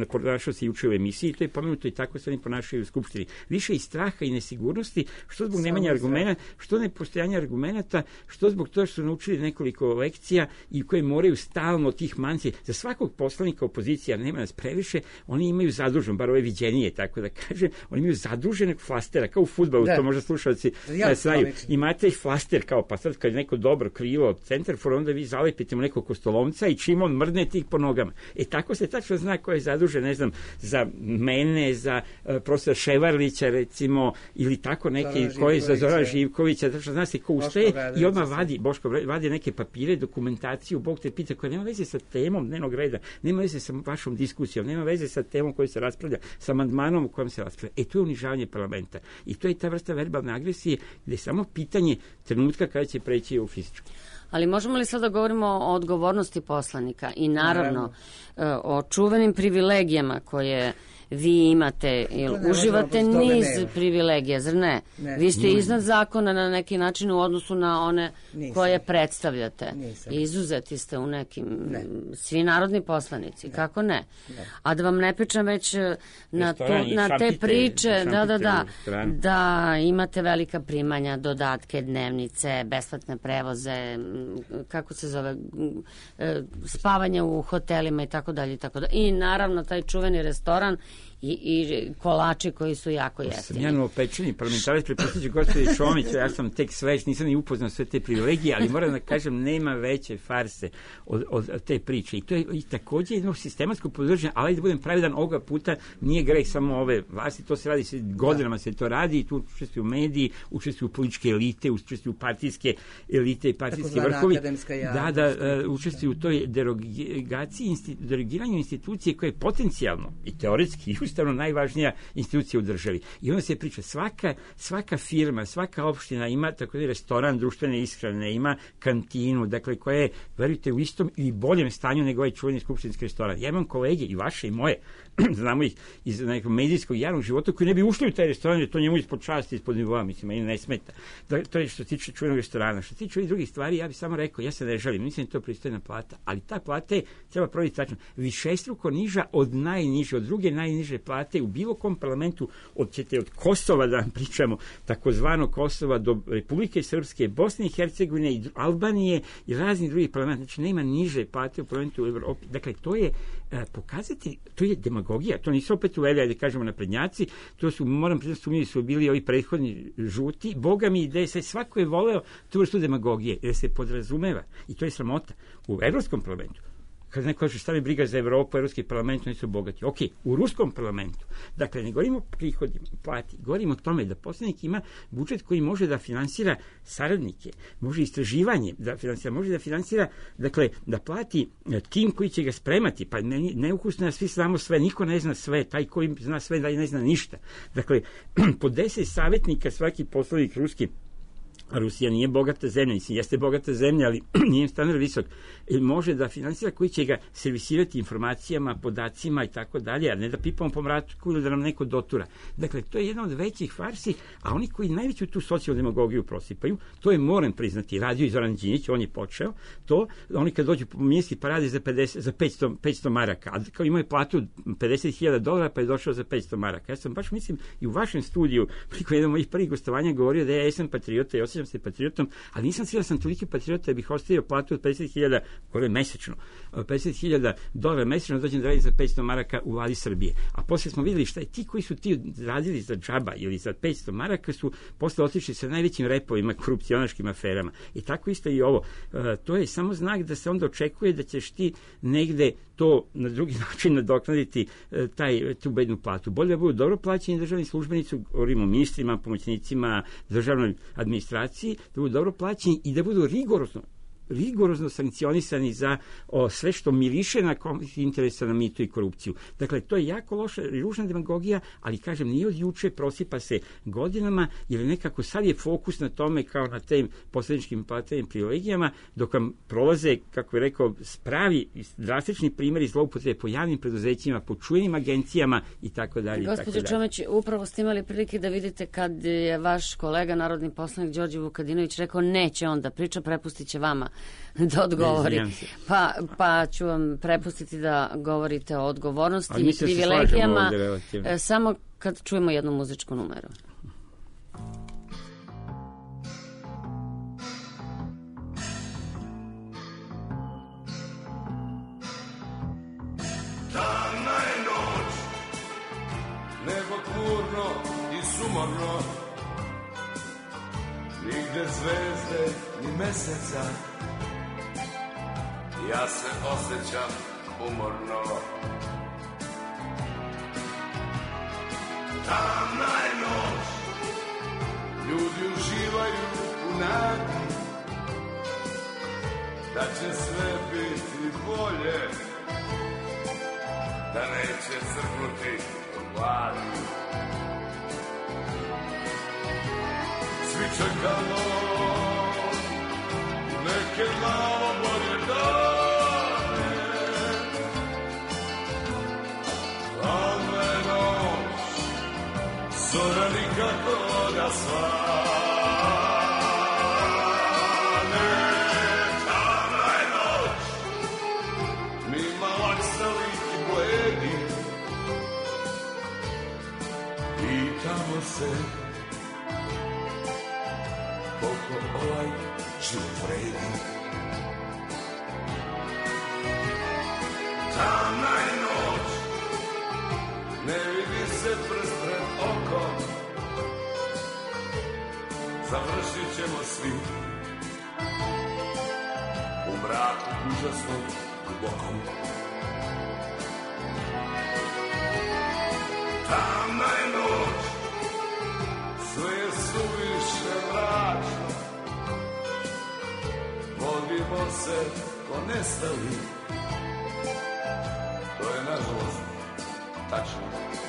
ponašao se juče u emisiji, to je pomenuto i tako se oni ponašaju u Skupštini. Više i straha i nesigurnosti, što zbog nemanja argumenta, što nepostojanja argumenata, što zbog toga što su naučili nekoliko lekcija i koje moraju stalno tih manci. Za svakog poslanika opozicija, nema nas previše, oni imaju zadužen, bar ove viđenije, tako da kažem, oni imaju zaduženog flastera, kao u fudbalu, to možda slušalci znaju. Imate flaster kao, pa sad kad je neko dobro krivo centarfor, onda vi zalepite mu nekog kostolomca i čim on mrdne tih po nogama. Tako se tačno zna ko je zadužen, ne znam, za mene, za profesora Ševarlića, recimo, ili tako neki koji za Zorana Živkovića, tačno zna se ko ustaje i odmah vadi neke papire, dokumentaciju, Bog te pita, koja nema veze sa temom dnevnog reda, nema veze sa vašom diskusijom, nema veze sa temom koju se raspravlja, sa amandmanom u kojem se raspravlja. To je unižavanje parlamenta. I to je ta vrsta verbalne agresije gde je samo pitanje trenutka kada će preći u fizičku. Ali možemo li sada govorimo o odgovornosti poslanika i naravno o čuvenim privilegijama koje vi imate, uživate niz privilegija, zar ne? Vi ste iznad zakona na neki način u odnosu na one koje predstavljate. Izuzeti ste u nekim, svi narodni poslanici, kako ne? A da vam ne pričam već na te priče, da imate velika primanja, dodatke, dnevnice, besplatne prevoze, kako se zove, spavanje u hotelima i tako dalje. I naravno taj čuveni restoran i kolači koji su jako jeftini. Sam ja novopečeni parlamentarac, prepostavljajući gospođe Čomić, ja sam tek sveć, nisam ni upoznao sve te privilegije, ali moram da kažem, nema veće farse od te priče. I to je i takođe jedno sistematsko podržanje, ali da budem pravedan, ovoga puta nije greh samo ove vlasti, to se radi, godinama se to radi i tu učestvuju mediji, učestvuju političke elite, učestvuju partijske elite i partijski vrhovi. Učestvuju u toj derogiranju institucije koje je potencijalno i teoretski i ustavno najvažnija institucija u državi. I onda se priča, svaka firma, svaka opština ima tako da restoran društvene ishrane, ima kantinu, dakle koja je, verujte, u istom i boljem stanju nego ovaj čuveni skupštinski restoran. Ja imam kolege, i vaše i moje, znamo ih iz nekog medijskog javnog života, koji ne bi ušli u taj restoran, jer to njemu ispod časti, ispod nivoa, mislim, meni ne smeta. To je što se tiče čuvenog restorana. Što se tiče ovih drugih stvari, ja bih samo rekao, ja se ne želim, mislim da je to pristojna plata, ali ta plata je, treba provjeriti tačno, višestruko niža od najniže, od druge najniže plate u bilo kom parlamentu, od Kosova da vam pričamo, takozvano Kosova do Republike Srpske, Bosne i Hercegovine i Albanije i raznih drugih parlamenta. Znači, nema niže plate u parlamentu u Evropi. Dakle, to je pokazati, to je demagogija, to nisu opet uveli, da kažemo, naprednjaci, to su, moram priznati, sumnjivi su bili ovi prethodni žuti, boga mi ide, svako je voleo tu vrstu demagogije, jer se podrazumeva, i to je sramota, u Evropskom parlamentu. Kada neko kaže šta mi briga za Evropu, Evropski parlament, oni su bogati. Ok, u Ruskom parlamentu. Dakle, ne govorimo o prihodima, plati, govorimo o tome da poslanik ima budžet koji može da finansira saradnike, može istraživanje da finansira, može da finansira, dakle, da plati tim koji će ga spremati, pa neukusno da svi znamo sve, niko ne zna sve, taj koji zna sve da ne zna ništa. Dakle, po 10 savjetnika svaki poslanik ruski, a Rusija nije bogata zemlja, mislim, jeste bogata zemlja, ali nije standard visok, može da finansira koji će ga servisirati informacijama, podacima i tako dalje, a ne da pipamo po mraku ili da nam neko dotura. Dakle, to je jedna od većih farsi, a oni koji najveću tu socijaldemagogiju prosipaju, to je, moram priznati, radio i Zoran Đinđić, on je počeo to, oni kad dođu po ministri pa rade za 500 maraka, a kao imaju platu $50,000 pa je došao za 500 maraka. Ja sam baš, mislim, i u vašem studiju, priko jedan mojih prvih gostovanja govorio da ja jesam patriota i osjećam se patriotom, ali nisam siguran da sam toliki patriota da bih ostavio platu od 50.000, gore mesečno, $50,000 mesečno, dođem da radim za 500 maraka u vladi Srbije. A posle smo videli šta je ti koji su ti radili za džaba ili za 500 maraka su posle otišli sa najvećim repovima, korupcionaškim aferama. I tako isto i ovo. To je samo znak da se onda očekuje da ćeš ti negde to na drugi način nadoknaditi tu bednu platu. Bolje da budu dobro plaćeni državni službenici, govorimo o ministrima, pomoćnicima, državnoj administraciji, da budu dobro plaćeni i da budu rigorozno sankcionisani za sve što miriše na konflikt interesa, na mitu i korupciju. Dakle, to je jako loša i ružna demagogija, ali kažem, nije od juče, prosipa se godinama, jer nekako sad je fokus na tome kao na tim poslaničkim platnim privilegijama, dok vam prolaze, kako je rekao, spravi drastični primjeri zloupotrebe po javnim preduzećima, po čujenim agencijama i tako dalje. Gospođo Čomeć, upravo ste imali prilike da vidite kad je vaš kolega, narodni poslanik Đorđe Vukadinović rekao neće on da priča, prepustit će vama da odgovori. Pa ću vam prepustiti da govorite o odgovornosti i privilegijama samo kad čujemo jednu muzičku numeru. Tamna je noć, nebo tmurno i sumorno, nigde zvezde ni meseca, ja se osjećam umorno. Tamna je noć, ljudi uživaju u nadi da će sve biti bolje, da neće crknuti od gladi. Svi čekamo neke malo bolje dane, tamna je noć, zora nikako da svane. Tamna je noć, mi malaksali i bledi, pitamo se koliko ovaj život vredi. Tamna je noć, ne vidi se prst pred okom, završit ćemo svi u mraku užasnom dubokom. Tamna je noć, sve je suviše mračno, vodimo se ko nestali, to je nažalost tačno.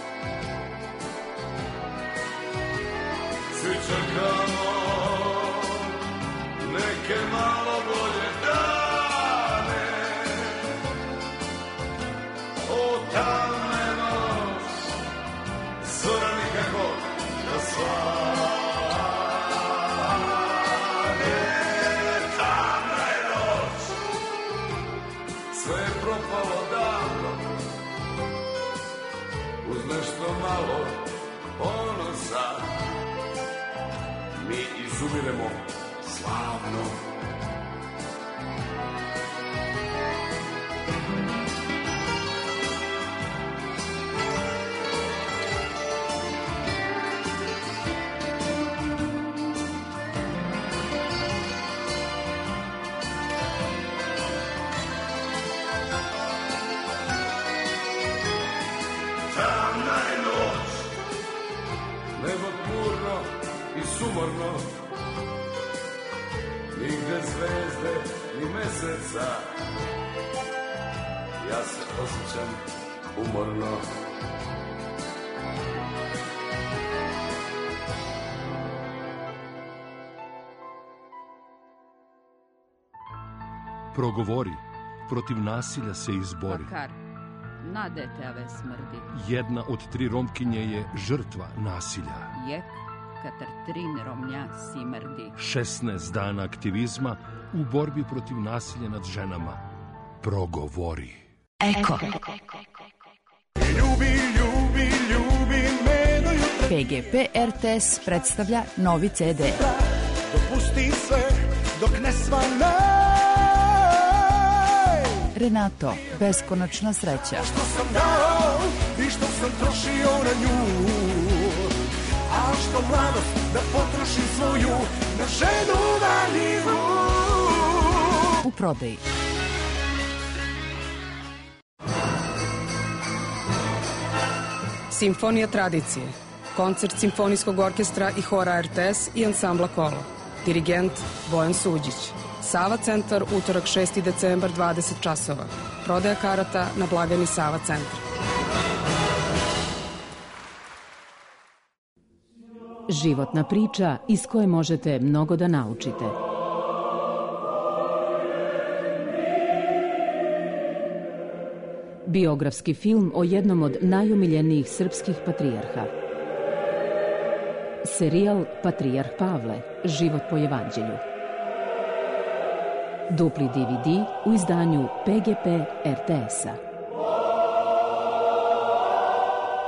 propalo davno, uz nešto malo ponosa, mi izumiremo slavno. Sumorno, nigde zvezde ni meseca, ja se osjećam umorno. Progovori, protiv nasilja se izbori. Bakar, na dete ave smrdi. Jedna od 3 Romkinje je žrtva nasilja. Jek, katar 3 Romnja simrdi. 16 dana aktivizma u borbi protiv nasilja nad ženama. Progovori. Eko. Ljubi, ljubi, ljubi me do jutra. PGP RTS predstavlja novi CD. Dopusti sve dok ne svane. Renato, beskonačna sreća. Što sam dao i što sam trošio na nju, a što mladost da potrošim svoju na ženu valjivu. U prodaji. Simfonija tradicije. Koncert Simfonijskog orkestra i hora RTS i ansambla Kolo. Dirigent Bojan Suđić. Sava centar, utorak 6. decembar, 20 časova. Prodaja karata na blagajni Sava centar. Životna priča iz koje možete mnogo da naučite. Biografski film o jednom od najomiljenijih srpskih patrijarha. Serijal Patrijarh Pavle, život po evanđelju. Dupli DVD u izdanju PGP RTS-a.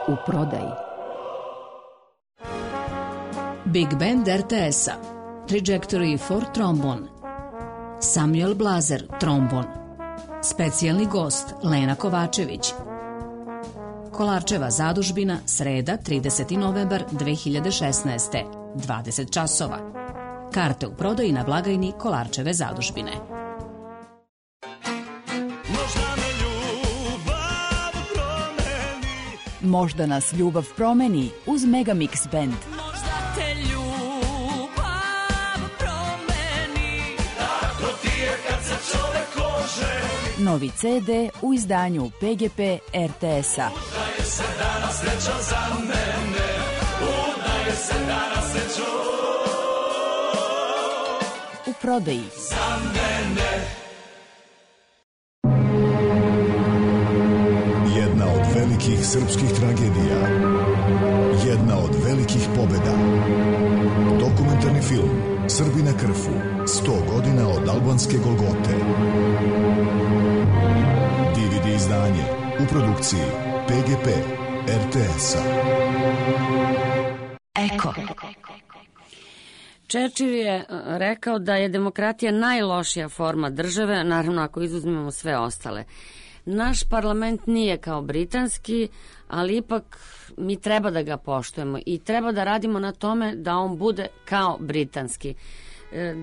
U prodaji. Big Band RTS-a, Trajectory for Trombone, Samuel Blazer, trombon, specijalni gost Lena Kovačević, Kolarčeva zadužbina, sreda, 30. novembar 2016. 20 časova. Karte u prodaji na blagajni Kolarčeve zadužbine. Možda nas ljubav promeni uz Megamix Band. Novi CD u izdanju PGP RTS-a. Udaje se danas sreća za mene, udaje se danas sreća u prodaji. Za mene. Jedna od velikih srpskih tragedija, jedna od velikih pobeda. Dokumentarni film Srbi na Krfu, 100 godina od albanske Golgote. DVD izdanje u produkciji PGP RTS-a. Eko. Churchill je rekao da je demokratija najlošija forma države, naravno ako izuzmemo sve ostale. Naš parlament nije kao britanski, ali ipak mi treba da ga poštujemo i treba da radimo na tome da on bude kao britanski.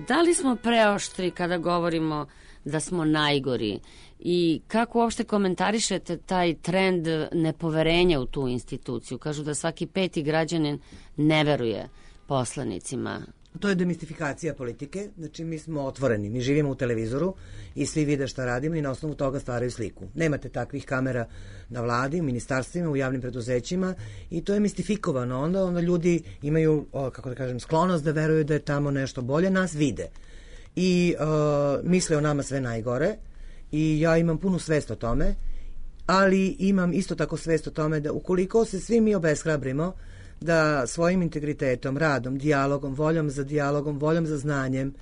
Da li smo preoštri kada govorimo da smo najgori i kako uopšte komentarišete taj trend nepoverenja u tu instituciju? Kažu da svaki 5. građanin ne veruje poslanicima. To je demistifikacija politike, znači mi smo otvoreni, mi živimo u televizoru i svi vide šta radimo i na osnovu toga stvaraju sliku. Nemate takvih kamera na vladi, u ministarstvima, u javnim preduzećima i to je mistifikovano. Onda ljudi imaju, kako da kažem, sklonost da veruju da je tamo nešto bolje, nas vide. I misle o nama sve najgore i ja imam punu svest o tome, ali imam isto tako svest o tome da ukoliko se svi mi obeshrabrimo da svojim integritetom, radom, dijalogom, voljom za dijalogom, voljom za znanjem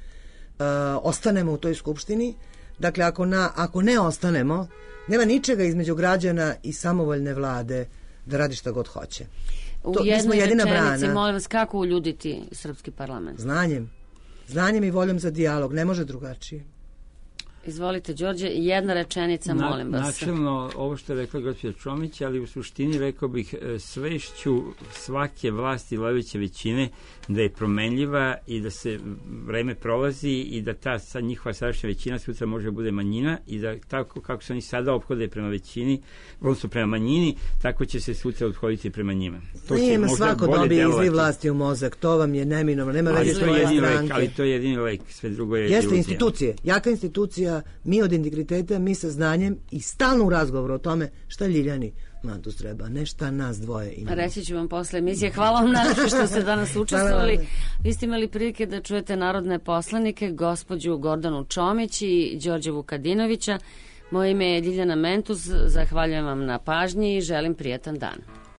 ostanemo u toj skupštini, Dakle, ako ne ostanemo, nema ničega između građana i samovoljne vlade da radi šta god hoće. U jednoj rečenici, molim vas, kako uljuditi srpski parlament? Znanjem i voljom za dijalog, ne može drugačije. Izvolite, Đorđe, jedna rečenica, molim vas. Načelno, ovo što je rekla gospođa Čomić, ali u suštini rekao bih svešću svake vlasti vladajuće većine da je promenljiva i da se vreme prolazi i da ta njihova sadašnja većina sutra može da bude manjina i da tako kako se oni sada ophode prema većini, odnosno prema manjini, tako će se sutra odhoditi prema njima. Nema svako dobije izli vlasti u mozak, to vam je neminovno, nema veze svoje stranke. Ali to je jedini lek, sve drugo je iluzija. Jeste institucije, jaka institucija, mi od integriteta, mi sa znanjem i stalno u razgovoru o tome šta Ljiljani Mantus treba, ne šta nas dvoje imamo. Reći ću vam posle emisije. Hvala vam najlepše što ste danas učestvovali. Vi ste imali prilike da čujete narodne poslanike, gospođu Gordanu Čomić i Đorđe Vukadinovića. Moje ime je Ljiljana Mentus, zahvaljujem vam na pažnji i želim prijatan dan.